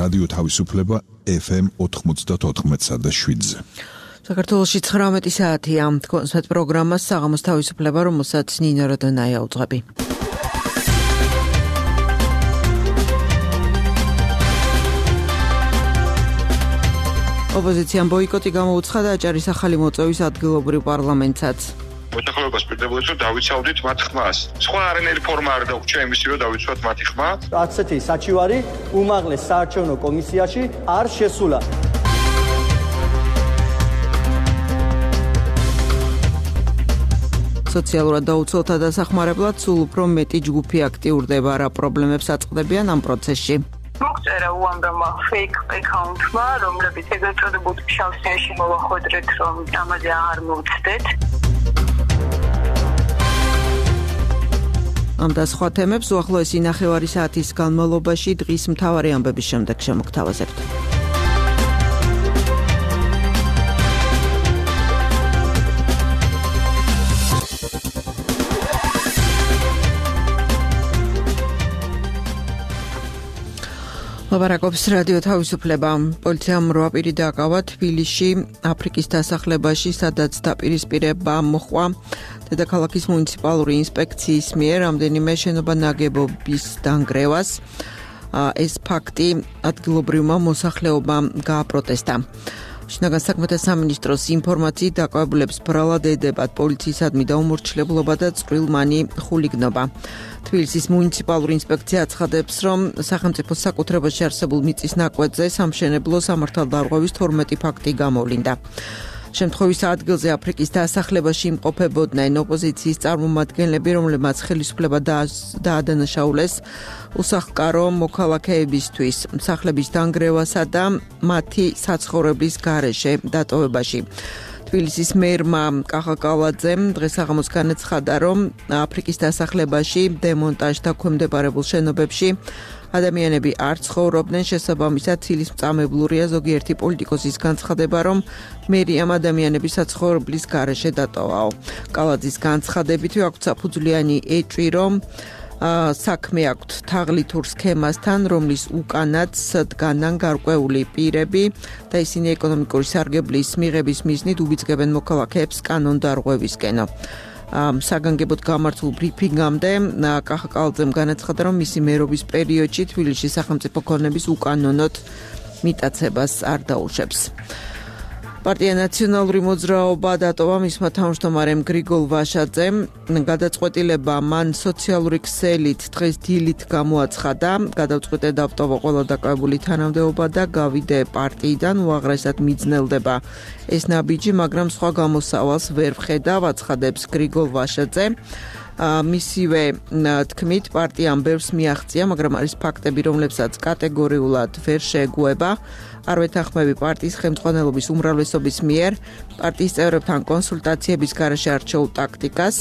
რადიო თავისუფლება FM 94.7-ზე. საქართველოში 19 საათია. კონსერტ პროგრამას საღამოს თავისუფლება, რომელსაც ნინო როდონაია უძღვები. ოპოზიციამ ბოიკოტი გამოუცხადა აჭარის ახალი მოწვევის ადგილობრივ პარლამენტსაც. მოსახლეობას პირდებოდეს, რომ დავიცავდით მათ ხმას. სხვა არანაირი ფორმა არ დაგვჭირდა იმისი, რომ დავიცვათ მათი ხმა. ასეთი საჩივარი უმაღლეს საარჩევნო კომისიაში არ შესულა. სოციალურად დაუცველთა დასახმარებლად სულ უფრო მეტი ჯგუფი აქტიურდება, რა პრობლემებს აწყდებიან ამ პროცესში. მოგწერა უამრავმა fake account-მა, რომლებიც ეგრეთ წოდებულ შავსიაში მოვახვედრეთ, რომ ამაზე არ მოვცდეთ. ამ და სხვა თემებს უახლოესი ნახევარი საათის განმავლობაში დღის მთავარი ამბების შემდეგ შემოგთავაზებთ. ლაპარაკობს რადიო თავისუფლება. პოლიციამ 8 პირი დააკავა თბილისში, აფრიკის დასახლებაში, სადაც დაპირისპირება მოჰყვა დედაქალაქის მუნიციპალური ინსპექციის მიერ რამდენიმე შენობა ნაგებობის დანგრევას. ეს ფაქტი ადგილობრივმა მოსახლეობამ გააპროტესტა. შინაგან საქმეთა სამინისტროს ინფორმაციით დაკავებულებს ბრალად ედებათ პოლიციისადმი დაუმორჩილებლობა და წვრილმანი ხულიგნობა. თბილისის მუნიციპალური ინსპექცია აცხადებს, რომ სახელმწიფოს საკუთრებაში არსებულ მიწის ნაკვეთზე სამშენებლო სამართალდარღვევის 12 ფაქტი გამოვლინდა. შემთხვევის ადგილზე აფრიკის დასახლებაში იმყოფებოდნენ ოპოზიციის წარმომადგენლები, რომლებმაც ხელისუფლება დაადანაშაულეს უსახლკარო მოქალაქეებისთვის სახლების დანგრევასა და მათი საცხოვრებლის გარეშე დატოვებაში. თბილისის მერმა კახაკალაძემ დღეს საღამოს განაცხადა, რომ აფრიკის დასახლებაში დემონტაჟთა ქვემდებარებულ შენობებში ადამიანები არ ცხოვრობდნენ, შესაბამისად ცილისმწამებლურია ზოგიერთი პოლიტიკოსის განცხადება, რომ მერიამ ადამიანების საცხოვრებლის გარეშე დატოვაო. კალაძის განცხადებით აქვს საფუძვლიანი ეჭვი, რომ საქმე აქვთ თაღლითურ სქემასთან, რომლის უკანაც დგანან გარკვეული პირები და ისინი ეკონომიკური სარგებლის მიღების მიზნით უბიძგებენ მოქალაქეებს კანონდარღვევისკენ. საგანგებოდ გამართულ ბრიფინგამდე კახაკალაძემ განაცხადა, რომ მისი მერობის პერიოდში თბილისში სახელმწიფო ქონების უკანონოდ მიტაცებას არ დაუშვებს. პარტია ნაციონალური მოძრაობა დატოვა მისმა თავმჯდომარემ გრიგოლ ვაშაძემ. გადაწყვეტილება მან სოციალური ქსელით დღეს დილით გამოაცხადა. გადაწყვეტე დავტოვა ყველა დაკავებული თანამდებობა და გავიდე პარტიიდან, უაღრესად მიძნელდება ეს ნაბიჯი, მაგრამ სხვა გამოსავალს ვერ ვხედავ, აცხადებს გრიგოლ ვაშაძე. მისივე თქმით, პარტიამ ბევრს მიაღწია, მაგრამ არის ფაქტები, რომლებსაც კატეგორიულად ვერ შეეგუება. არ ვეთანხმები პარტიის ხელმძღვანელობის უმრავლესობის მიერ პარტიის წევრებთან კონსულტაციების გარეშე არჩეულ ტაქტიკას.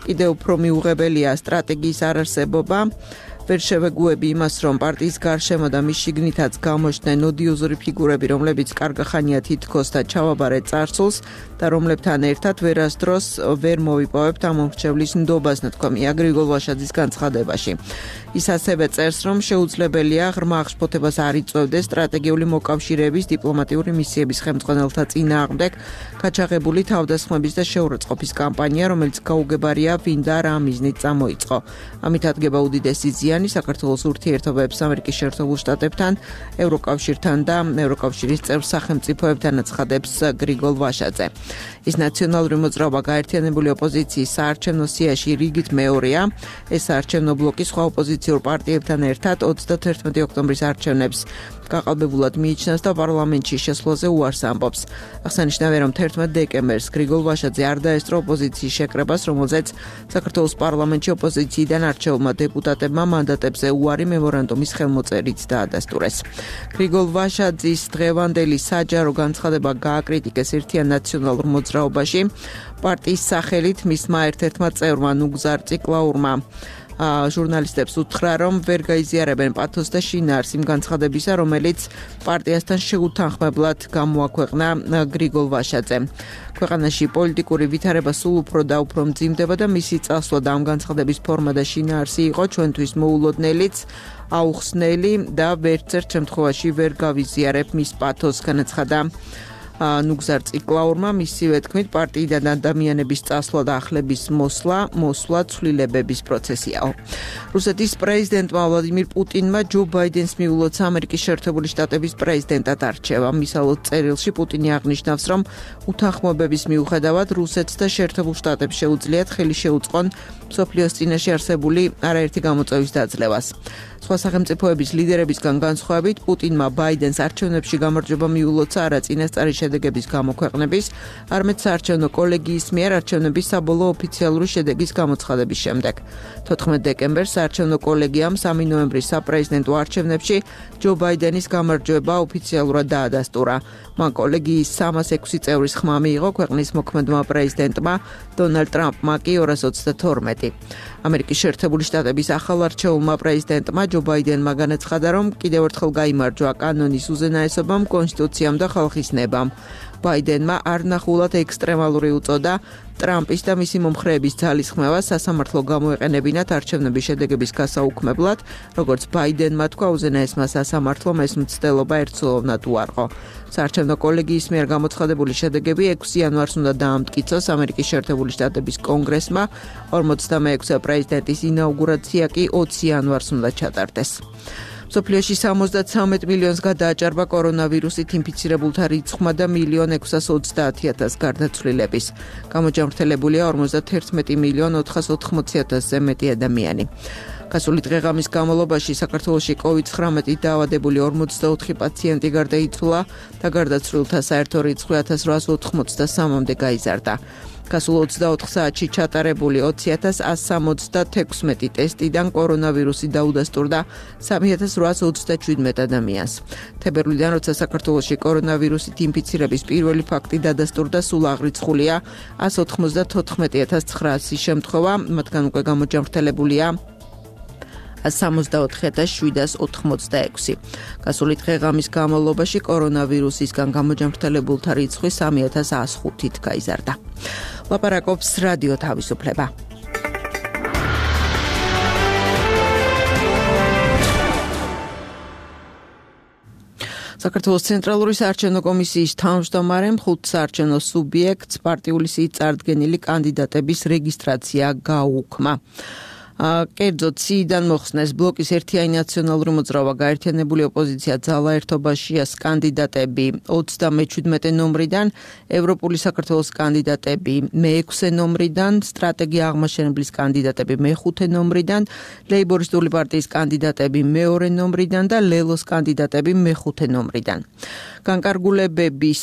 კიდევ უფრო მიუღებელია სტრატეგიის არარსებობა. ვერ შევეგუები იმას, რომ პარტიის გარშემო და მის შიგნითაც გამოჩნდნენ ოდიოზური ფიგურები, რომლებიც კარგახანია თითქოს და ჩავაბარეთ წარსულს და რომლებთან ერთად ვერასდროს ვერ მოვიპოვებთ ამ მომრჩევლის ნდობას, ნათქვამია გრიგოლ ვაშაძის განცხადებაში. ის ასევე წერს, რომ შეუძლებელია ღრმა აღშფოთებას არ იწვევდეს სტრატეგიული მოკავშირეების დიპლომატიური მისიების ხელმძღვანელთა წინააღმდეგ გაჩაღებული თავდასხმების და შეურაცხყოფის კამპანია, რომელიც გაუგებარია ვინ და რა მიზნით წამოიწყო. ამით ადგება უდიდესი ზიანი საქართველოს ურთიერთობებს ამერიკის შეერთებულ შტატებთან, ევროკავშირთან და ევროკავშირის წევრ სახელმწიფოებთან, აცხადებს გრიგოლ ვაშაძე. ის ნაციონალური მოძრაობა გაერთიანებული ოპოზიციის საარჩევნო სიაში რიგით მეორეა. ეს საარჩევნო ბლოკი სხვა ოპოზიციურ პარტიებთან ერთად 31 ოქტომბრის არჩევნებს გაყალბებულად მიიჩნევს და პარლამენტში შესვლაზე უარს ამბობს. აღსანიშნავია, რომ 11 დეკემბერს გრიგოლ ვაშაძე არ დაესწრო ოპოზიციის შეკრებას, რომელზეც საქართველოს პარლამენტში ოპოზიციიდან არჩეულმა დეპუტატებმა მანდატებზე უარი მემორანდუმის ხელმოწერით დაადასტურეს. გრიგოლ ვაშაძის დღევანდელი საჯარო განცხადება გააკრიტიკეს ერთიან ნაციონალურ მოძრაობაში. პარტიის სახელით მისმა ერთ-ერთმა წევრმა ნუგზარ ციკლაურმა ჟურნალისტებს უთხრა, რომ ვერ გაიზიარებენ პათოს და შინაარს იმ განცხადებისა, რომელიც პარტიასთან შეუთანხმებლად გამოაქვეყნა გრიგოლ ვაშაძემ. ქვეყანაში პოლიტიკური ვითარება სულ უფრო და უფრო მძიმდება და მისი წასვლა და ამ განცხადების ფორმა და შინაარსი იყო ჩვენთვის მოულოდნელიც, აუხსნელი და ვერცერთ შემთხვევაში ვერ გავიზიარებ მის პათოს, განაცხადა ნუგზარ ციკლაურმა. მისივე თქმით, პარტიიდან ადამიანების წასვლა და ახლების მოსვლა ცვლილებების პროცესიაო. რუსეთის პრეზიდენტმა ვლადიმირ პუტინმა ჯო ბაიდენს მიულოცა ამერიკის შეერთებული შტატების პრეზიდენტად არჩევა. მისალოდ წერილში პუტინი აღნიშნავს, რომ უთანხმოებების მიუხედავად რუსეთს და შეერთებულ შტატებს შეუძლიათ ხელი შეუწყონ მსოფლიოს წინაშე არსებული არაერთი გამოწვევის დაძლევას. სხვა სახელმწიფოების ლიდერებისგან განსხვავებით, პუტინმა ბაიდენს არჩევნებში გამარჯვება მიულოცა არა წინასწარი შედეგების გამოქვეყნების, არამედ საარჩევნო კოლეგიის მიერ არჩევნების საბოლოო ოფიციალური შედეგის გამოცხადების შემდეგ. 14 დეკემბერს საარჩევნო კოლეგიამ 3 ნოემბრის საპრეზიდენტო არჩევნებში ჯო ბაიდენის გამარჯვება ოფიციალურად დაადასტურა. მან კოლეგიის 306 წევრის ხმა მიიღო ქვეყნის მოქმედმა პრეზიდენტმა დონალდ ტრამპმა კი 232. ამერიკის შეერთებული შტატების ახალარჩეულმა პრეზიდენტმა ჯო ბაიდენმა განაცხადა, რომ კიდევ ერთხელ გაიმარჯვა კანონის უზენაესობამ, კონსტიტუციამ და ხალხის ნებამ. ბაიდენმა არნახულად ექსტრემალური უწოდა ტრამპის და მისი მომხრეების ძალისხმევას სასამართლო გამოეყენებინათ არჩევნების შედეგების გასაუქმებლად, როგორც ბაიდენმა თქვა, უზენაესმა სასამართლომ ეს მცდელობა ერთსულოვნად უარყო. საარჩევნო კოლეგიის მიერ გამოცხადებული შედეგები 6 იანვარს უნდა დაამტკიცოს ამერიკის შეერთებული შტატების კონგრესმა, 46 პრეზიდენტის ინაუგურაცია კი 20 იანვარს უნდა ჩატარდეს. მსოფლიოში 73 მილიონს გადააჭარბა კორონავირუსით ინფიცირებულთა რიცხვმა და 1.630.000 გარდაცვლილების. გამოჯამრთელებულია 51.480.000-ზე მეტი ადამიანი. გასული დღეღამის განმავლობაში საქართველოში COVID-19 დაავადებული 44 პაციენტი გარდაიცვალა და გარდაცვლილთა საერთო რიცხვი 1883-მდე გაიზარდა. გასულ 24 საათში ჩატარებული 20.176 ტესტიდან კორონავირუსი დაუდასტურდა 3.827 ადამიანს. თებერვლიდან, როცა საქართველოში კორონავირუსით ინფიცირების პირველი ფაქტი დადასტურდა, სულ აღრიცხულია 194.900 შემთხვევა, მათგან უკვე გამოჯამრთელებულია 64.786. გასული დღეღამის განმავლობაში კორონავირუსისგან გამოჯამრთელებულთა რიცხვი 3105-ით გაიზარდა. ლაპარაკობს რადიო თავისუფლება. საქართველოს ცენტრალური საარჩევნო კომისიის თავმჯდომარემ 5 საარჩევნო სუბიექტს პარტიული სიით წარდგენილი კანდიდატების რეგისტრაცია გაუქმა. კერძოდ სიიდან მოხსნეს ბლოკის ერთიანი ნაციონალური მოძრაობა, გაერთიანებული ოპოზიცია, ძალა ერთობაშიას კანდიდატები 37 ნომრიდან, ევროპული საქართველოს კანდიდატები მე-6 ნომრიდან, სტრატეგია აღმაშენებლის კანდიდატები მე-5 ნომრიდან, ლეიბორისტული პარტიის კანდიდატები მე-2 ნომრიდან და ლელოს კანდიდატები მე-5 ნომრიდან. განკარგულებების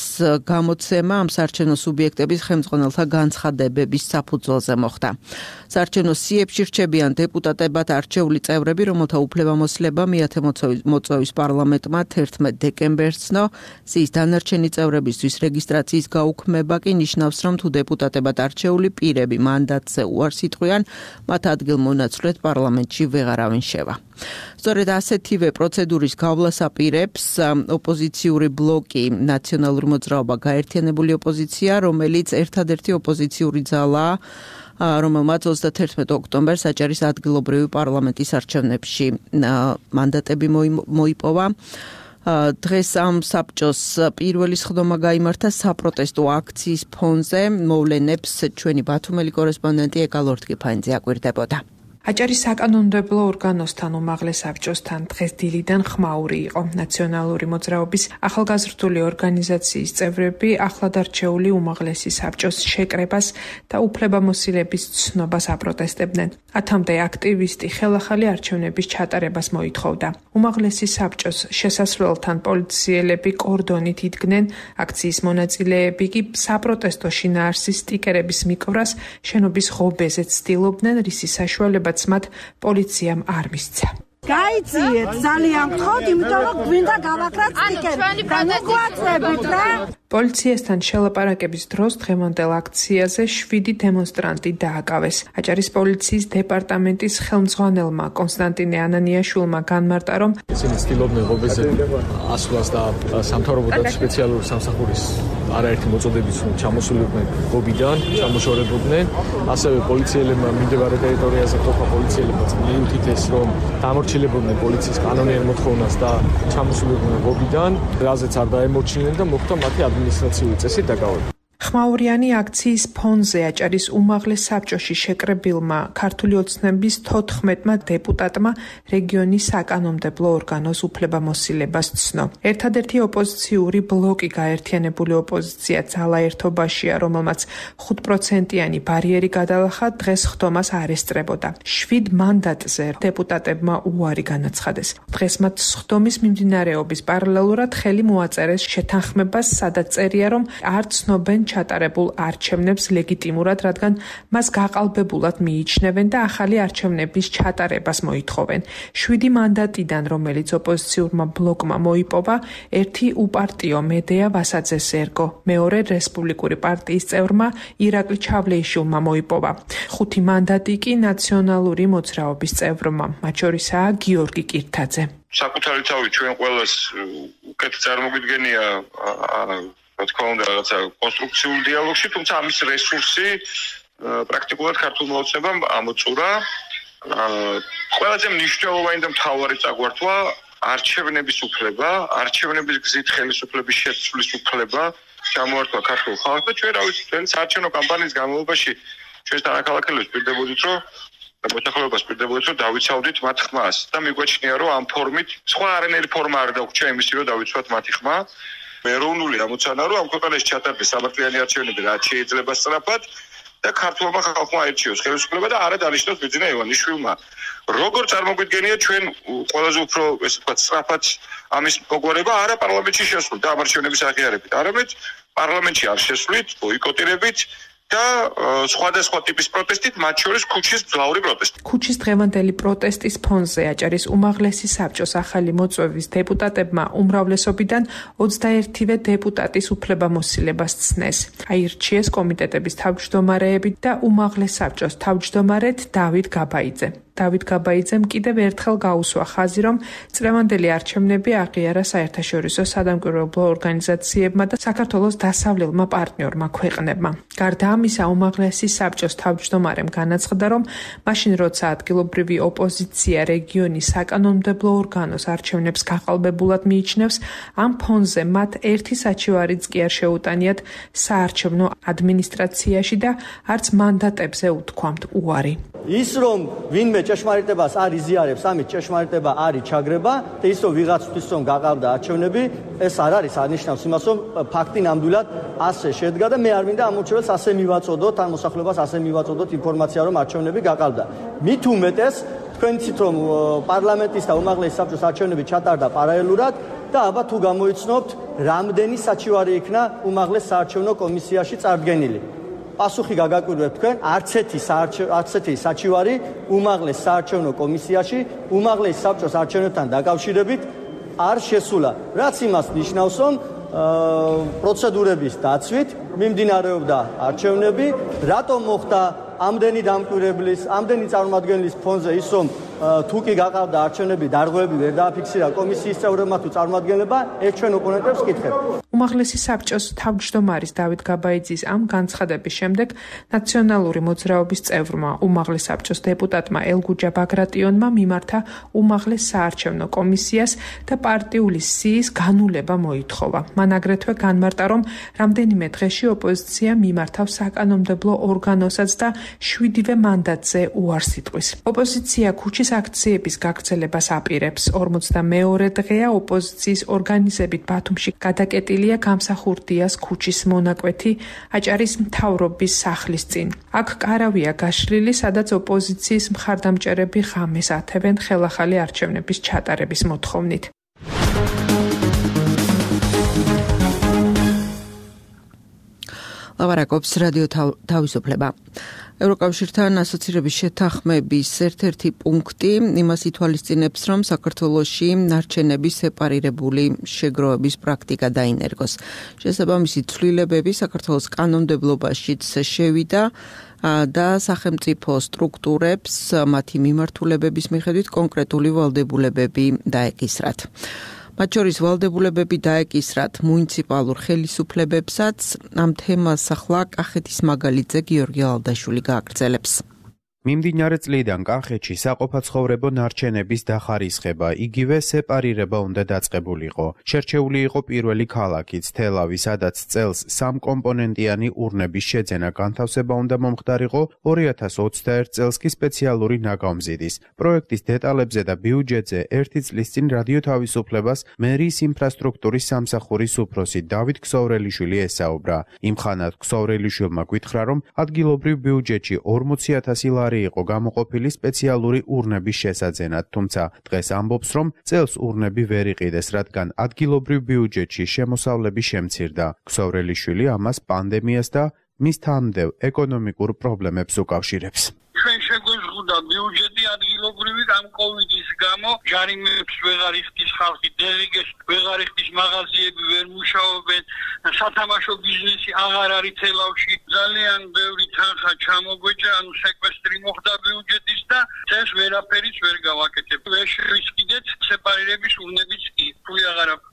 გამოცემა ამ საარჩევნო სუბიექტების ხელმძღვანელთა განცხადებების საფუძველზე მოხდა. საარჩევნო სიებში რჩებიან დეპუტატებად არჩეული წევრები, რომელთა უფლებამოსილება მეათე მოწვევის პარლამენტმა 11 დეკემბერს ცნო. სიის დანარჩენი წევრებისთვის რეგისტრაციის გაუქმება კი ნიშნავს, რომ თუ დეპუტატებად არჩეული პირები მანდატზე უარს იტყვიან, მათ ადგილმონაცვლედ პარლამენტში ვეღარავინ შევა. სწორედ ასეთივე პროცედურის გავლას აპირებს ოპოზიციური ბლოკი ნაციონალური მოძრაობა, გაერთიანებული ოპოზიცია, რომელიც ერთადერთი ოპოზიციური ძალაა, რომელმაც 31 ოქტომბერს აჭარის ადგილობრივი პარლამენტის არჩევნებში მანდატები მოიპოვა. დღეს ამ საბჭოს პირველი სხდომა გაიმართა საპროტესტო აქციის ფონზე. მოვლენებს ჩვენი ბათუმელი კორესპონდენტი ეკა ლორთგიფანიძე აკვირდებოდა. აჭარის საკანონმდებლო ორგანოსთან უმაღლეს საბჭოსთან დღეს დილიდან ხმაური იყო. ნაციონალური მოძრაობის ახალგაზრდული ორგანიზაციის წევრები ახლად არჩეული უმაღლესი საბჭოს შეკრებას და უფლებამოსილების ცნობას აპროტესტებდნენ. 10-მდე აქტივისტი ხელახალი არჩევნების ჩატარებას მოითხოვდა. უმაღლესი საბჭოს შესასვლელთან პოლიციელები კორდონით იდგნენ, აქციის მონაწილეები კი საპროტესტო შინაარსის სტიკერების მიკვრას შენობის ღობეზეც ცდილობდნენ, რისი საშუალება მათ პოლიციამ არ მისცა. გაიციეთ ძალიან გთხოვთ, იმიტომ რომ გვინდა გავაკრათ სტიკერი. მოგვაწევით რა. პოლიციასთან შელაპარაკების დროს დღევანდელ აქციაზე 7 დემონსტრანტი დააკავეს. აჭარის პოლიციის დეპარტამენტის ხელმძღვანელმა კონსტანტინე ანანიაშვილმა განმარტა, რომ ისინი ცდილობდნენ ღობეზე ასვლას და სამთავრობო და სპეციალური სამსახურის არაერთი მოწოდებით ჩამოსულიყვნენ ღობიდან, ჩამოშორებოდნენ. ასევე პოლიციელებმა მიმდებარე ტერიტორიაზე ყოფა პოლიციელებმა მიუთითეს, რომ დამორჩილებოდნენ პოლიციის კანონიერ მოთხოვნას და ჩამოსულიყვნენ ღობიდან, რაზეც არ დაემორჩილნენ და მოხდა მათი ადმინისტრაციული წესით დაკავება. ხმაურიანი აქციის ფონზე აჭარის უმაღლეს საბჭოში შეკრებილმა ქართული ოცნების 14-მა დეპუტატმა რეგიონის საკანონმდებლო ორგანოს უფლებამოსილებას ცნო. ერთადერთი ოპოზიციური ბლოკი გაერთიანებული ოპოზიცია ძალა ერთობაშია, რომელმაც 5%-იანი ბარიერი გადალახა, დღეს ხდომას არ ესწრებოდა. 7 მანდატზე დეპუტატებმა უარი განაცხადეს. დღეს მათ ხდომის მიმდინარეობის პარალელურად ხელი მოაწერეს შეთანხმებას, სადაც წერია, რომ არ ცნობენ ჩატარებულ არჩევნებს ლეგიტიმურად, რადგან მას გაყალბებულად მიიჩნევენ და ახალი არჩევნების ჩატარებას მოითხოვენ. 7 მანდატიდან, რომელიც ოპოზიციურმა ბლოკმა მოიპოვა, ერთი უპარტიო მედეა ვასაძეს ერგო, მეორე რესპუბლიკური პარტიის წევრმა ირაკლი ჩავლეიშვილმა მოიპოვა. 5 მანდატი კი ნაციონალური მოძრაობის წევრმა, მათ შორისაა გიორგი კირთაძე. საკუთარი თავი ჩვენ ყველას უკეთ წარმოგვიდგენია რა თქმა უნდა რაღაცა კონსტრუქციულ დიალოგში, თუმცა ამის რესურსი პრაქტიკულად ქართულმა ოცნებამ ამოწურა. ყველაზე მნიშვნელოვანი და მთავარი წაგვართვა არჩევნების უფლება, არჩევნების გზით ხელისუფლების შეცვლის უფლება ჩამოართვა ქართულ ხალხს და ჩვენ რა ვიცი, ჩვენ საარჩევნო კამპანიის განმავლობაში ჩვენ თანახმადებლებს პირდებოდით, რომ მოსახლეობას პირდებოდით, რომ დავიცავდით მათ ხმას და მიგვაჩნია, რომ ამ ფორმით სხვა არანაირი ფორმა არ დაგვრჩა იმისი, რომ დავიცვათ მათი ხმა. ეროვნული ამოცანა, რომ ამ ქვეყანაში ჩატარდეს სამართლიანი არჩევნები, რაც შეიძლება სწრაფად და ქართულმა ხალხმა აირჩიოს ხელისუფლება და არა დანიშნოს ბიძინა ივანიშვილმა. როგორ წარმოგვიდგენია ჩვენ ყველაზე უფრო ესე ვთქვათ სწრაფად ამის მოგვარება არა პარლამენტში შესვლით და ამ არჩევნების აღიარებით, არამედ პარლამენტში არ შესვლით, ბოიკოტირებით და სხვადასხვა ტიპის პროტესტით, მათ შორის ქუჩის მძლავრი პროტესტი. ქუჩის დღევანდელი პროტესტის ფონზე აჭარის უმაღლესი საბჭოს ახალი მოწვევის დეპუტატებმა უმრავლესობიდან 21 დეპუტატის უფლებამოსილებას ცნეს. აირჩიეს კომიტეტების თავმჯდომარეები და უმაღლეს საბჭოს თავმჯდომარედ დავით გაბაიძე. დავით გაბაიძემ კიდევ ერთხელ გაუსვა ხაზი, რომ წლევანდელი არჩევნები აღიარა საერთაშორისო სადამკვირვებლო ორგანიზაციებმა და საქართველოს დასავლელმა პარტნიორმა ქვეყნებმა. გარდა ამისა, უმაღლესი საბჭოს თავმჯდომარემ განაცხადა, რომ მაშინ როცა ადგილობრივი ოპოზიცია რეგიონის საკანონმდებლო ორგანოს არჩევნებს გაყალბებულად მიიჩნევს, ამ ფონზე მათ ერთი საჩივარიც კი არ შეუტანიათ საარჩევნო ადმინისტრაციაში და არც მანდატებზე უთქვამთ უარი. ის რომ ვინმე ჭეშმარიტებას არ იზიარებს, ამით ჭეშმარიტება არ იჩაგრება და ის რომ ვიღაცთვის რომ გაყავდა არჩევნები, ეს არ არის აღნიშნავს იმას, რომ ფაქტი ნამდვილად ასე შედგა და მე არ მინდა ამორჩეველს ასე მივაწოდოთ, ან მოსახლეობას ასე მივაწოდოთ ინფორმაცია, რომ არჩევნები გაყავდა. მით უმეტეს თქვენ იცით, რომ პარლამენტის და უმაღლეს საბჭოს არჩევნები ჩატარდა პარალელურად და აბა თუ გამოიცნობთ, რამდენი საჩივარი იქნა უმაღლეს საარჩევნო კომისიაში წარდგენილი. პასუხი გაგაკვირვებთ თქვენ, არც ერთი საჩივარი უმაღლეს საარჩევნო კომისიაში უმაღლეს საბჭოს არჩევნებთან დაკავშირებით არ შესულა. რაც იმას ნიშნავს, რომ პროცედურების დაცვით მიმდინარეობდა არჩევნები, რატომ მოხდა ამდენი დამკვირვებლის, ამდენი წარმომადგენლის ფონზე ის, რომ თუ კი გაყავდა არჩევნები, დარღვევები ვერ დააფიქსირა კომისიის წევრებმა თუ წარმომადგენლებმა, ეს ჩვენ ოპონენტებს ვკითხებთ. უმაღლესი საბჭოს თავმჯდომარის დავით გაბაიძის ამ განცხადების შემდეგ ნაციონალური მოძრაობის წევრმა უმაღლეს საბჭოს დეპუტატმა ელგუჯა ბაგრატიონმა მიმართა უმაღლეს საარჩევნო კომისიას და პარტიული სიის განულება მოითხოვა. მან აგრეთვე განმარტა, რომ რამდენიმე დღეში ოპოზიცია მიმართავს საკანონმდებლო ორგანოსაც და 7 მანდატზე უარს იტყვის. ოპოზიცია ქუჩის აქციების გაგრძელებას აპირებს. 42 დღეა ოპოზიციის ორგანიზებით ბათუმში გადაკეტილია გამსახურდიას ქუჩის მონაკვეთი აჭარის მთავრობის სახლის წინ. აქ კარავია გაშლილი, სადაც ოპოზიციის მხარდამჭერები ღამეს ათევენ ხელახალი არჩევნების ჩატარების მოთხოვნით. ლაპარაკობს რადიო თავისუფლება. ევროკავშირთან ასოცირების შეთანხმების ერთ-ერთი პუნქტი იმას ითვალისწინებს, რომ საქართველოში ნარჩენების სეპარირებული შეგროვების პრაქტიკა დაინერგოს. შესაბამისი ცვლილებები საქართველოს კანონმდებლობაშიც შევიდა და სახელმწიფო სტრუქტურებს მათი მიმართულებების მიხედვით კონკრეტული ვალდებულებები დაეკისრათ. მათ შორის ვალდებულებები დაეკისრათ მუნიციპალურ ხელისუფლებებსაც. ამ თემას ახლა კახეთის მაგალითზე გიორგი ალდაშვილი გააგრძელებს. მიმდინარე წლიდან კახეთში საყოფაცხოვრებო ნარჩენების დახარისხება, იგივე სეპარირება უნდა დაწყებულიყო. შერჩეული იყო პირველი ქალაქიც თელავი, სადაც წელს სამკომპონენტიანი ურნების შეძენა განთავსება უნდა მომხდარიყო 2021 წელს კი სპეციალური ნაგავმზიდის. პროექტის დეტალებზე და ბიუჯეტზე ერთი წლის წინ რადიო თავისუფლებას მერიის ინფრასტრუქტურის სამსახურის უფროსი დავით ქსოვრელიშვილი ესაუბრა. იმხანად ქსოვრელიშვილმა გითხრა, რომ ადგილობრივ ბიუჯეტში 40,000 ლარი იყო გამოყოფილი სპეციალური ურნების შესაძენად, თუმცა დღეს ამბობს, რომ წელს ურნები ვერ იყიდეს, რადგან ადგილობრივ ბიუჯეტში შემოსავლები შემცირდა. ქსოვრელიშვილი ამას პანდემიას და მის თანმდევ ეკონომიკურ პრობლემებს უკავშირებს. ჩვენ შეგვეზღუდა ბიუჯეტი ადგილობრივი ამ კოვიდის გამო, ჯარიმებს ვეღარ იხდის ხალხი, დელეგეს ვეღარ იხდის, მაღაზიები ვერ მუშაობენ, სათამაშო ბიზნესი აღარ არის თელავში, ძალიან ბევრი თანხა ჩამოგვეჭა, ანუ სეკვესტრი მოხდა ბიუჯეტის და წელს ვერაფერიც ვერ გავაკეთებ. ვერ შევისყიდეთ სეპარირების ურნების კი, ფული აღარ აქვს.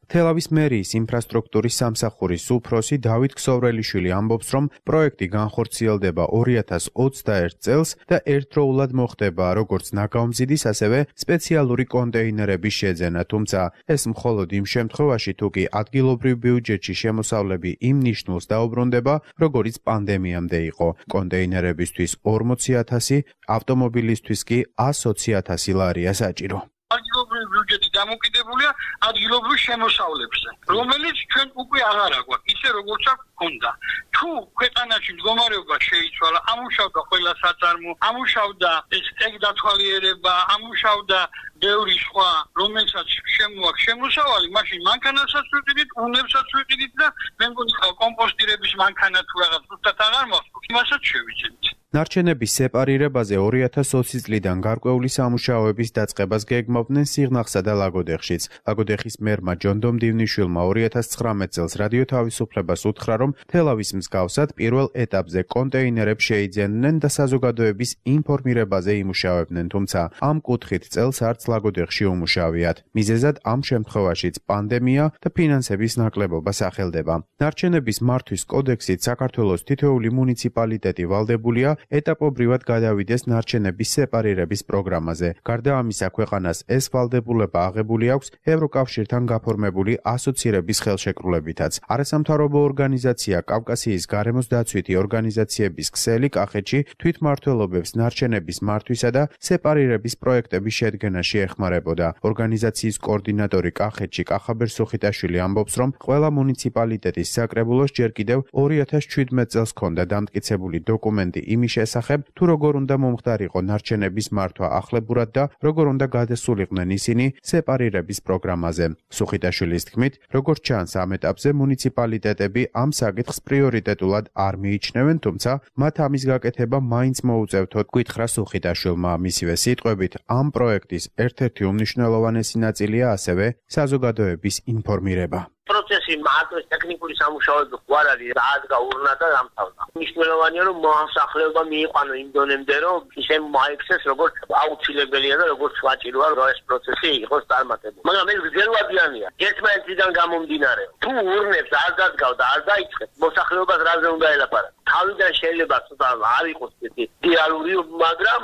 თელავის მერიის ინფრასტრუქტურის სამსახურის უფროსი დავით ქსოვრელიშვილი ამბობს, რომ პროექტი განხორციელდება 2021 წელს და ერთდროულად მოხდება როგორც ნაგავმზიდის, ასევე სპეციალური კონტეინერების შეძენა, თუმცა ეს მხოლოდ იმ შემთხვევაში, თუ კი ადგილობრივ ბიუჯეტში შემოსავლები იმ ნიშნულს დაუბრუნდება, როგორიც პანდემიამდე იყო. კონტეინერებისთვის 40,000, ავტომობილისთვის კი 120,000 ლარია საჭირო. ადგილობრივი ბიუჯეტი დამოკიდებულია ადგილობრივ შემოსავლებზე, რომელიც ჩვენ უკვე აღარ აგვაქვს, ისე როგორც აქვს ქონდა. თუ ქვეყანაში მდგომარეობა შეიცვალა, ამუშავდა ყველა საწარმო, ამუშავდა ეს ეგდათვალიერება, ამუშავდა ბევრი სხვა, რომელსაც შემოაქვს შემოსავალი, მაშინ მანქანასაც ვიყიდით, უნებსაც ვიყიდით და მე მგონი კომპოსტირების მანქანა თუ რაღაც ზუსტად აღარ მოხდა, იმასაც შევიძენთ. ნარჩენების სეპარირებაზე 2020 წლიდან გარკვეული სამუშაოების დაწყებას გეგმავდნენ სიღნაღსა და ლაგოდეხშიც. ლაგოდეხის მერმა ჯონ დომდივნიშვილმა 2019 წელს რადიო თავისუფლებას უთხრა, რომ თელავის მსგავსად პირველ ეტაპზე კონტეინერებს შეიძენდნენ და საზოგადოების ინფორმირებაზე იმუშავებდნენ, თუმცა ამ კუთხით წელს არც ლაგოდეხში უმუშავიათ. მიზეზად ამ შემთხვევაშიც პანდემია და ფინანსების ნაკლებობა სახელდება. ნარჩენების მართვის კოდექსით საქართველოს თითოეული მუნიციპალიტეტი ვალდებულია ეტაპობრივად გადავიდეს ნარჩენების სეპარირების პროგრამაზე. გარდა ამისა, ქვეყანას ეს ვალდებულება აღებული აქვს ევროკავშირთან გაფორმებული ასოცირების ხელშეკრულებითაც. არასამთავრობო ორგანიზაცია კავკასიის გარემოს დაცვითი ორგანიზაციების ქსელი კახეთში თვითმმართველობებს ნარჩენების მართვისა და სეპარირების პროექტების შედგენაში ეხმარებოდა. ორგანიზაციის კოორდინატორი კახეთში კახაბერ სუხიტაშვილი ამბობს, რომ ყველა მუნიციპალიტეტის საკრებულოს ჯერ კიდევ 2017 წელს ჰქონდა დამტკიცებული დოკუმენტი იმის შესახებ, თუ როგორ უნდა მომხდარიყო ნარჩენების მართვა ახლებურად და როგორ უნდა გადასულიყვნენ ისინი სეპარირების პროგრამაზე. სუხიტაშვილის თქმით, როგორც ჩანს ამ ეტაპზე მუნიციპალიტეტები ამ საკითხს პრიორიტეტულად არ მიიჩნევენ, თუმცა მათ ამის გაკეთება მაინც მოუწევთოთ, გითხრა სუხიტაშვილმა. მისივე სიტყვებით, ამ პროექტის ერთ-ერთი უმნიშვნელოვანესი ნაწილია ასევე საზოგადოების ინფორმირება. პროცესი მარტო ტექნიკური სამუშაოები არ არის, დაადგა ურნა და დამთავრდა. მნიშვნელოვანია, რომ მოსახლეობა მიიყვანო იმ დონემდე, რომ ისე მაიქცეს, როგორც აუცილებელია და როგორც ვაჭიროა, რომ ეს პროცესი იყოს წარმატებული. მაგრამ ეს გრძელვადიანია. ერთმანეთიდან გამომდინარე. თუ ურნებს არ დადგავ და არ დაიწყებ, მოსახლეობას რაზე უნდა ელაპარაკო? თავიდან შეიძლება ცოტა არ იყოს ესეთი რეალური, მაგრამ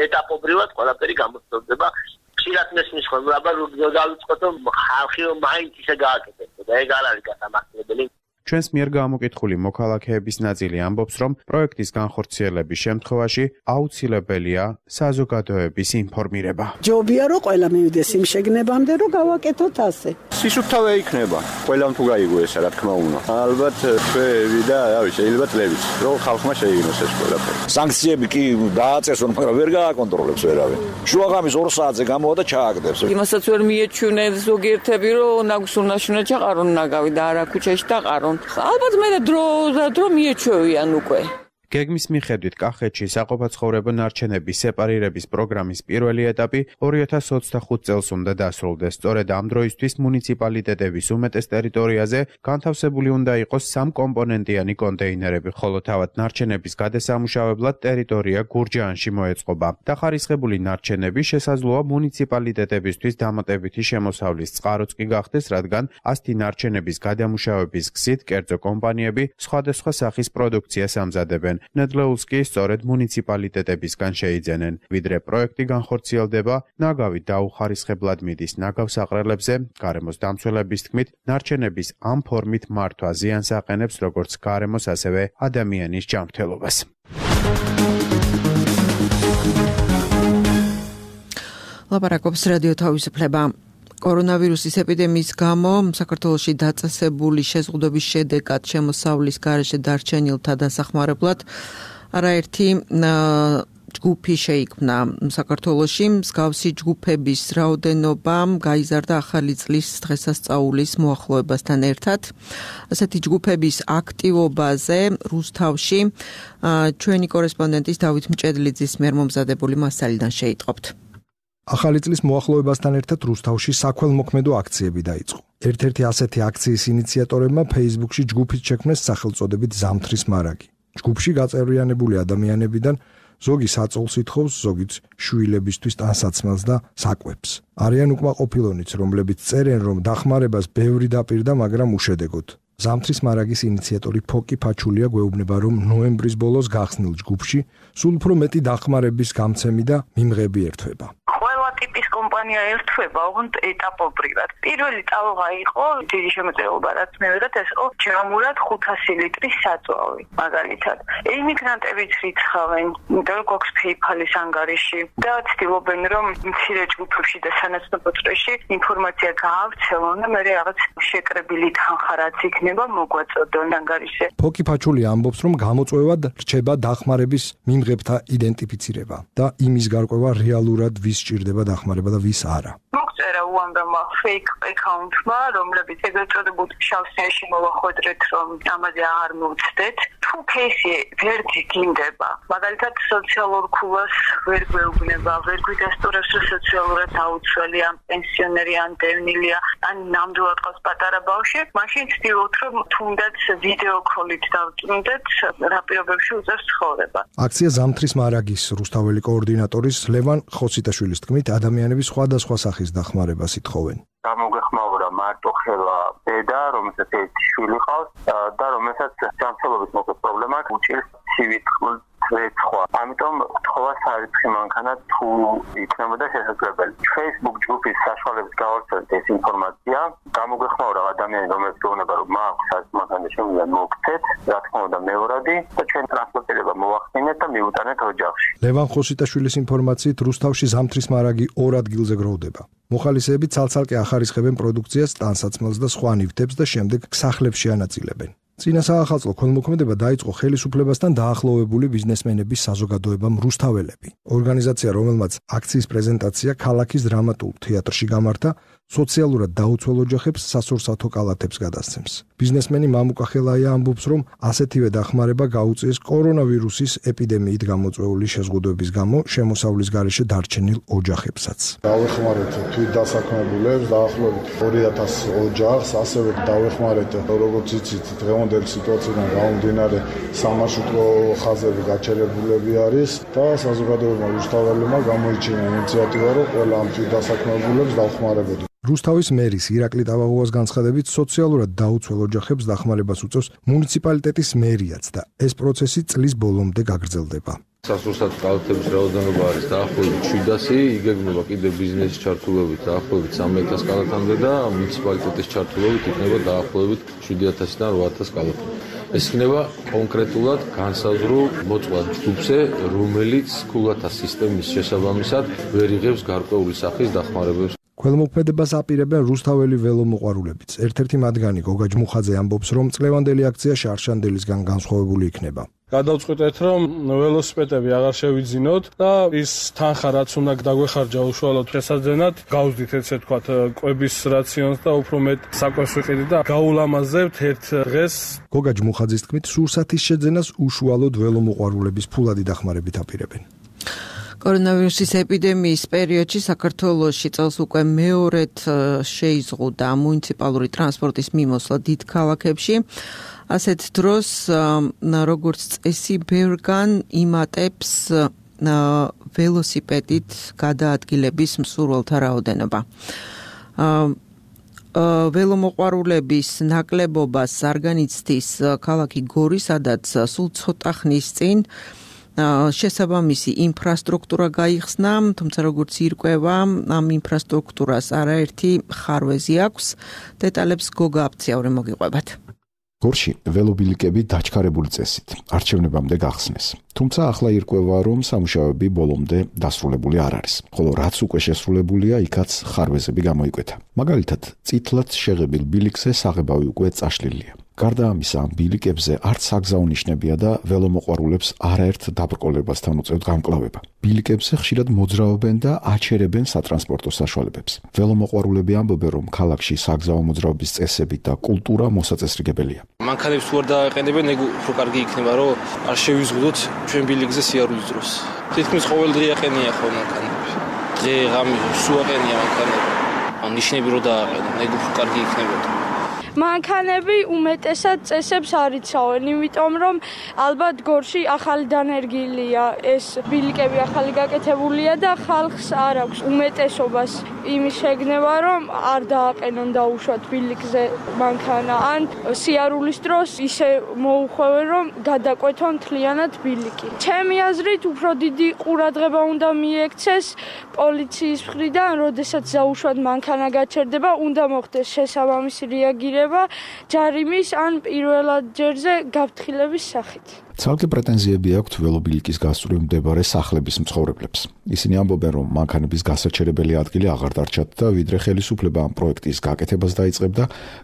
ეტაპობრივად ყველაფერი გამოსწორდება. ხშირად მესმის ხოლმე, აბა დავიწყოთ, რომ ხალხი მაინც ისე გააკეთებს და ეგ არ არის გასამართლებელი. ჩვენს მიერ გამოკითხული მოქალაქეების ნაწილი ამბობს, რომ პროექტის განხორციელების შემთხვევაში აუცილებელია საზოგადოების ინფორმირება. ჯობია რომ ყველა მივიდეს იმ შეგნებამდე, რომ გავაკეთოთ ასე. სისუფთავე იქნება. ყველამ თუ გაიგო ესა, რა თქმა უნდა. ალბათ ჩვენი და შეიძლება წლების, რომ ხალხმა შეიგნოს ეს ყველაფერი. სანქციები კი დააწესონ, მაგრამ ვერ გააკონტროლებს ვერავინ. შუაღამის 2 საათზე გამოვა და ჩააგდებს. იმასაც ვერ მიეჩვენე ზოგიერთები, რომ ნაგვის უნდა ჩაყარონ ნაგავი და არა ქუჩაში დაყარონ. თვითონ. ალბათ მე დრო მიეჩვევიან უკვე. გეგმის მიხედვით კახეთში საყოფაცხოვრებო ნარჩენების სეპარირების პროგრამის პირველი ეტაპი 2025 წელს უნდა დასრულდეს. სწორედ ამ დროისთვის მუნიციპალიტეტების უმეტეს ტერიტორიაზე განთავსებული უნდა იყოს 3 კომპონენტიანი კონტეინერები, ხოლო თავად ნარჩენების გადასამუშავებლად ტერიტორია გურჯაანში მოეწყობა. დახარისხებული ნარჩენები შესაძლოა მუნიციპალიტეტებისთვის დამატებითი შემოსავლის წყაროც კი გახდეს, რადგან ასეთი ნარჩენების გადამუშავების გზით კერძო კომპანიები სხვადასხვა სახის პროდუქციას ამზადებენ. ნედლეულს კი სწორედ მუნიციპალიტეტებისგან შეიძენენ. ვიდრე პროექტი განხორციელდება, ნაგავი დაუხარისხებლად მიდის ნაგავს აყრელებზე. გარემოს დამცველების თქმით, ნარჩენების ამ ფორმით მართვა ზიანს აყენებს როგორც გარემოს, ასევე ადამიანის ჯანმრთელობას. ლაპარაკობს რადიო თავისუფლება. კორონავირუსის ეპიდემიის გამო საქართველოში დაწესებული შეზღუდვების შედეგად შემოსავლის გარეშე დარჩენილთა დასახმარებლად არაერთი ჯგუფი შეიქმნა საქართველოში. მსგავსი ჯგუფების რაოდენობა გაიზარდა ახალი წლის დღესასწაულის მოახლოებასთან ერთად. ასეთი ჯგუფების აქტივობაზე რუსთავში ჩვენი კორესპონდენტის დავით მჭედლიძის მიერ მომზადებული მასალიდან შეიტყობთ. ახალი წლის მოახლოებასთან ერთად რუსთავში საქველმოქმედო აქციები დაიწყო. ერთ-ერთი ასეთი აქციის ინიციატორებმა Facebook-ში ჯგუფით შექმნეს სახელწოდებით ზამთრის მარაგი. ჯგუფში გაწევრიანებული ადამიანებიდან ზოგი საწოლს ითხოვს, ზოგიც შვილებისთვის ტანსაცმელს და საკვებს. არიან უკმაყოფილონიც, რომლებიც წერენ, რომ დახმარებას ბევრი დაპირდა, მაგრამ უშედეგოდ. ზამთრის მარაგის ინიციატორი ფოკი ფაჩულია გვეუბნება, რომ ნოემბრის ბოლოს გახსნილ ჯგუფში სულ უფრო მეტი დახმარების გამცემი და მიმღები ერთვება. ტიპის კომპანია ერთვება, ოღონდ ეტაპობრივად. პირველი ტალღა იყო დიდი შემოწირულობა, რაც მივიღეთ, ეს იყო ჯამურად 500 ლიტრის საწვავი, მაგალითად. ემიგრანტებიც რიცხავენ, იმიტომ რომ გვაქვს PayPal-ის ანგარიში და ცდილობენ, რომ მცირე ჯგუფებში და სანაცნობო წრეში ინფორმაცია გაავრცელონ და მე რაღაც შეკრებილი თანხა რაც იქნება მოგვაწოდონ ანგარიშზე. ფოკი ფაჩულია ამბობს, რომ გამოწვევად რჩება დახმარების მიმღებთა იდენტიფიცირება და იმის გარკვევა რეალურად ვის სჭირდება დახმარება და ვის არა. მოგწერა უამრავმა fake account-მა, რომლებიც ეგრეთ წოდებულ შავსიაში მოვახვედრეთ, რომ ამაზე აღარ მოვცდეთ. თუ кейსი ვერ გინდება, მაგალითად სოციალურ ქულას ვერ გვეუბნება, ვერ გვიდასტურებს, რომ სოციალურად დაუცველია, პენსიონერი ან დევნილია, ან ნამდვილად ყავს პატარა ბავშვი, მაშინ ვცდილობთ, რომ თუნდაც ვიდეო კოლით დავწუნდეთ, რა პირობებში უწევს ცხოვრება. აქცია ზამთრის მარაგის რუსთაველი კოორდინატორის ლევან ხოსიტაშვილის თქმით, ადამიანები სხვადასხვა სახის დახმარებას ითხოვენ. გამოგეხმაურა მარტოხელა დედა, რომელსაც ერთი შვილი ყავს და რომელსაც ჯანმრთელობის მოკლე პრობლემა უჭირს ცივით რეცხვა. ამიტომ თხოვა სარიცხი მანქანა თუ იქნებოდა შესაძლებელი. Facebook ჯგუფის საშუალებით გავავრცელეთ ეს ინფორმაცია. გამოგეხმაურა ადამიანი, რომელიც გეუბნება, რომ მაქვს სარიცხი მანქანა შემიძლია მოგცეთ, რა თქმა უნდა მეორადი და ჩვენ ტრანსპორტირება მოვახდინეთ და მივუტანეთ ოჯახში. ლევან ხოსიტაშვილის ინფორმაციით რუსთავში ზამთრის მარაგი 2 ადგილზე გროვდება. მოხალისეები ცალ-ცალკე ახარისხებენ პროდუქციას, ტანსაცმელს და სხვა ნივთებს და შემდეგ სახლებში ანაწილებენ. წინა საახალწლო ქველმოქმედება დაიწყო ხელისუფლებასთან დაახლოვებული ბიზნესმენების საზოგადოებამ რუსთაველები. ორგანიზაცია, რომელმაც აქციის პრეზენტაცია ქალაქის დრამატულ თეატრში გამართა, სოციალურად დაუცველ ოჯახებს სასურსათო კალათებს გადასცემს. ბიზნესმენი მამუკა ხელაია ამბობს, რომ ასეთივე დახმარება გაუწიეს კორონავირუსის ეპიდემიით გამოწვეული შეზღუდვების გამო შემოსავლის გარეშე დარჩენილ ოჯახებსაც. დავეხმარეთ თვით დასაქმებულებს, დაახლოებით 2000 ოჯახს, ასევე დავეხმარეთ, როგორც იცით, დღევანდელი სიტუაციიდან გამომდინარე სამარშრუტო ხაზები გაჩერებულები არის და საზოგადოებამ რუსთაველებმა გამოიჩინა ინიციატივა, რომ ყველა ამ თვით დასაქმებულებს დავხმარებოდნენ. რუსთავის მერის ირაკლი ტავაღოვას განცხადებით, სოციალურად დაუცველ ოჯახებს დახმარებას უწევს მუნიციპალიტეტის მერიაც და ეს პროცესი წლის ბოლომდე გაგრძელდება. სასურსათო კალათების რაოდენობა არის დაახლოებით 700, იგეგმება კიდევ ბიზნესის ჩართულობით დაახლოებით 3000 კალათამდე და მუნიციპალიტეტის ჩართულობით იქნება დაახლოებით 7000-დან 8000 კალათი. ეს იქნება კონკრეტულად განსაზღვრულ მოწყვლად ჯგუფზე, რომელიც ქულათა სისტემის შესაბამისად ვერ იღებს გარკვეული სახის დახმარებებს. ქველმოქმედებას აპირებენ რუსთაველი ველომოყვარულებიც. ერთ-ერთი მათგანი გოგა ჯმუხაძე ამბობს, რომ წლევანდელი აქცია შარშანდელისგან განსხვავებული იქნება. გადავწყვიტეთ, რომ ველოსიპედები აღარ შევიძინოთ და ის თანხა, რაც უნდა დაგვეხარჯა უშუალოდ შესაძენად, გავზდით ესე ვთქვათ, კვების რაციონს და უფრო მეტ საკვებს ვიყიდით და გაულამაზებთ ერთ დღეს. გოგა ჯმუხაძის თქმით, სურსათის შეძენას უშუალოდ ველომოყვარულების ფულადი დახმარებით აპირებენ. კორონავირუსის ეპიდემიის პერიოდში საქართველოში წელს უკვე მეორედ შეიზღუდა მუნიციპალური ტრანსპორტის მიმოსვლა დიდ ქალაქებში. ასეთ დროს, როგორც წესი, ბევრგან იმატებს ველოსიპედით გადაადგილების მსურველთა რაოდენობა. ველომოყვარულების ნაკლებობას არ განიცდის ქალაქი გორი, სადაც სულ ცოტა ხნის წინ შესაბამისი ინფრასტრუქტურა გაიხსნა, თუმცა როგორც ირკვევა, ამ ინფრასტრუქტურას არაერთი ხარვეზი აქვს. დეტალებს გოგა აფციაური მოგიყვებათ. გორში ველობილიკები დაჩქარებული წესით არჩევნებამდე გახსნეს. თუმცა ახლა ირკვევა, რომ სამუშაოები ბოლომდე დასრულებული არ არის. ხოლო რაც უკვე შესრულებულია, იქაც ხარვეზები გამოიკვეთა. მაგალითად, წითლად შეღებილ ბილიკზე საღებავი უკვე წაშლილია. გარდა ამისა, ამ ბილიკებზე არც საგზაო ნიშნებია და ველომოყვარულებს არაერთ დაბრკოლებასთან უწევთ გამკლავება. ბილიკებზე ხშირად მოძრაობენ და აჩერებენ სატრანსპორტო საშუალებებს. ველომოყვარულები ამბობენ, რომ ქალაქში საგზაო მოძრაობის წესები და კულტურა მოსაწესრიგებელია. მანქანებს თუ არ დააყენებენ, ეგ უფრო კარგი იქნება, რომ არ შევიზღუდოთ ჩვენ ბილიკზე სიარულის დროს. თითქმის ყოველ დღე აყენია ხო მანქანები. დღე ღამე სულ აყენია მანქანები. ან ნიშნები რო დააყენონ, ეგ უფრო კარგი იქნებოდა. მანქანები უმეტესად წესებს არ იცავენ, იმიტომ რომ ალბათ გორში ახალი დანერგილია, ეს ბილიკები ახალი გაკეთებულია და ხალხს არ აქვს უმეტესობას იმის შეგნება, რომ არ დააყენონ დაუშვათ ბილიკზე მანქანა, ან სიარულის დროს ისე მოუხვევენ, რომ გადაკვეთონ მთლიანად ბილიკი. ჩემი აზრით, უფრო დიდი ყურადღება უნდა მიექცეს პოლიციის მხრიდან, როდესაც დაუშვათ მანქანა გაჩერდება, უნდა მოხდეს შესაბამისი რეაგირება ჯარიმის ან პირველად ჯერზე გაფრთხილების სახით. ცალკე პრეტენზიები აქვთ ველობილიკის გასწვრივ მდებარე სახლების მცხოვრებლებს. ისინი ამბობენ, რომ მანქანების გასაჩერებელი ადგილი აღარ დარჩათ და ვიდრე ხელისუფლება ამ პროექტის გაკეთებას დაიწყებდა,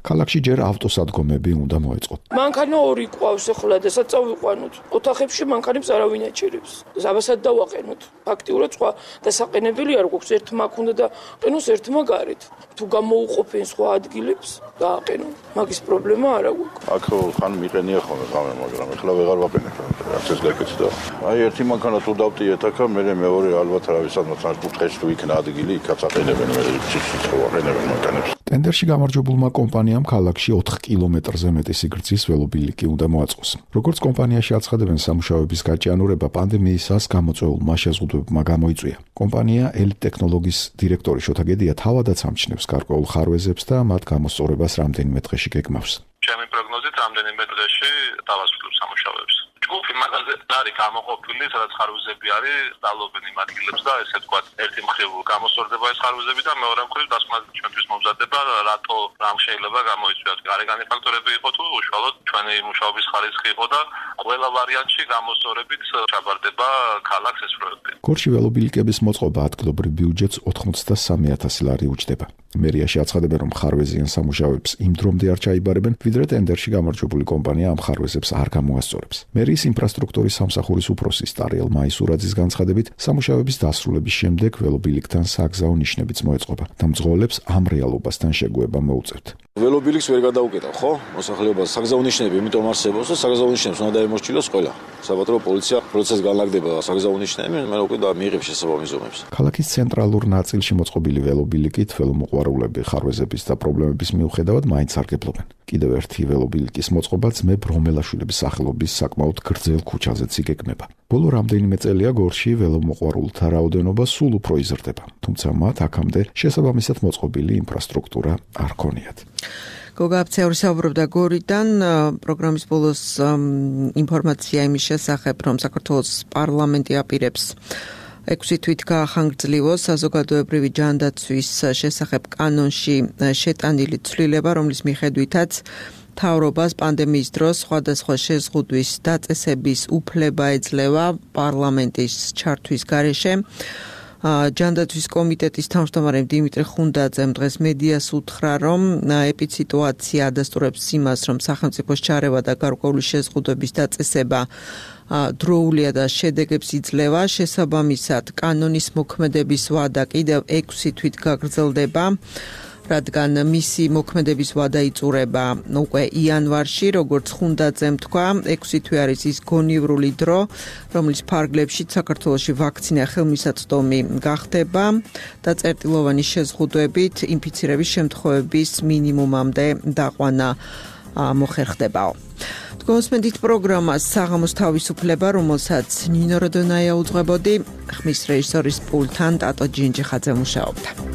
ქალაქში ჯერ ავტოსადგომები უნდა მოეწყოთ. მანქანა ორი ყავს ახლა და საწავიყვანოთ. ოთახებში მანქანებს არავინ აჭერებს. ზაბასად დავაყენოთ. ფაქტიურად სხვა დასაყენებელი არ გვაქვს, ერთმა ქონდა და ყენოს ერთმა გარეთ. თუ გამოუყოფენ სხვა ადგილებს, დააყენონ. მაგის პრობლემა არ აქვს. აქ ხან მიყენია ხოლმე ღამე, მაგრამ ახლა ვეღარ ვაყენებ. რაც ეს გაკეთდა. აი ერთი მანქანა თუ დავტიეთ აქ, მე მეორე ალბათ რავისადმო ტრანსპორტში თუ იქნა ადგილი, იქაც აყენებენ, მე ციცი აყენებენ მანქანებს. ტენდერში გამარჯვებულმა კომპანიამ ქალაქში 4 კილომეტრზე მეტი სიგრძის ველობილიკი უნდა მოაწყოს. როგორც კომპანიაში აცხადებენ, სამუშაოების გაჭიანურება პანდემიისას გამოწვეულმა შეზღუდვებმა გამოიწვია. კომპანია ელიტ ტექნოლოგიის დირექტორი შოთა გედია თავადაც ამჩნევს გარკვეულ ხარვეზებს და მათ გამოსწორებას რამდენიმე დღეში გეგმავს. ჩემი პროგნოზით რამდენიმე დღეში დავასრულებ სამუშაოებს. ჯგუფი მაგაზე არის გამოყოფილი, სადაც ხარვეზები არის, დალობენ იმ ადგილებს და ესე ვთქვათ, ერთი მხრივ გამოსწორდება ეს ხარვეზები და მეორე მხრივ დასკვნად ჩვენთვის მომზადდება, რატო რამ შეიძლება გამოიწვიოს. გარეგანი ფაქტორები იყო თუ უშუალოდ ჩვენი მუშაობის ხარისხი იყო და ყველა ვარიანტში გამოსწორებით ჩაბარდება ქალაქს ეს პროექტი. გორში ველობილიკების მოწყობა ადგილობრივ ბიუჯეტს 83,000 ლარი უჯდება. მერიაში აცხადებენ, რომ ხარვეზიან სამუშაოებს იმ დრომდე არ ჩაიბარებენ, ვიდრე ტენდერში გამარჯვებული კომპანია ამ ხარვეზებს არ გამოასწორებს. მერიის ინფრასტრუქტურის სამსახურის უფროსის ტარიელ მაისურაძის განცხადებით, სამუშაოების დასრულების შემდეგ ველობილიკთან საგზაო ნიშნებიც მოეწყობა და მძღოლებს ამ რეალობასთან შეგუება მოუწევთ. ველობილიკს ვერ გადაუკეთავ, ხო? მოსახლეობას საგზაო ნიშნები იმიტომ არსებობს და საგზაო ნიშნებს უნდა დაემორჩილოს ყველა. საპატრულო პოლიცია პროცესს განლაგდება საგზაო ნიშნები, მაგრამ უკვე მიიღებს შესაბამის ზომებს. ქალაქის ცენტრალურ ნაწილში მოწყობილი ველობილიკით ველომოყვარულები ხარვეზების და პრობლემების მიუხედავად მაინც სარგებლობენ. კიდევ ერთი ველობილიკის მოწყობა ძმებ რომელაშვილების სახელობის საკმაოდ გრძელ ქუჩაზეც იგეგმება. ბოლო რამდენიმე წელია გორში ველომოყვარულთა რაოდენობა სულ უფრო იზრდება, თუმცა მათ აქამდე შესაბამისად მოწყობილი ინფრასტრუქტურა არ ქონიათ. გოგა აფციაური საუბრობდა გორიდან, პროგრამის ბოლოს ინფორმაცია იმის შესახებ, რომ საქართველოს პარლამენტი აპირებს 6 თვით გაახანგრძლივოს საზოგადოებრივი ჯანდაცვის შესახებ კანონში შეტანილი ცვლილება, რომლის მიხედვითაც მთავრობას პანდემიის დროს სხვადასხვა შეზღუდვის დაწესების უფლება ეძლევა პარლამენტის ჩართვის გარეშე. ჯანდაცვის კომიტეტის თავმჯდომარე დიმიტრი ხუნდაძემ დღეს მედიას უთხრა, რომ ეპიციტუაცია ადასტურებს იმას, რომ სახელმწიფოს ჩარევა და გარკვეული შეზღუდვების დაწესება დროულია და შედეგებს იძლევა. შესაბამისად, კანონის მოქმედების ვადა კიდევ 6 თვით გაგრძელდება, რადგან მისი მოქმედების ვადა იწურება უკვე იანვარში, როგორც ხუნდაძემ თქვა, 6 თვე არის ის გონივრული დრო, რომლის ფარგლებშიც საქართველოში ვაქცინა ხელმისაწვდომი გახდება და წერტილოვანი შეზღუდვებით ინფიცირების შემთხვევების მინიმუმამდე დაყვანა მოხერხდებაო. გოსმენდით პროგრამას საღამოს თავისუფლება, რომელსაც ნინო როდონაია უძღვებოდი, ხმის რეჟისორის პულტთან ტატო ჯინჯიხაძე მუშაობდა.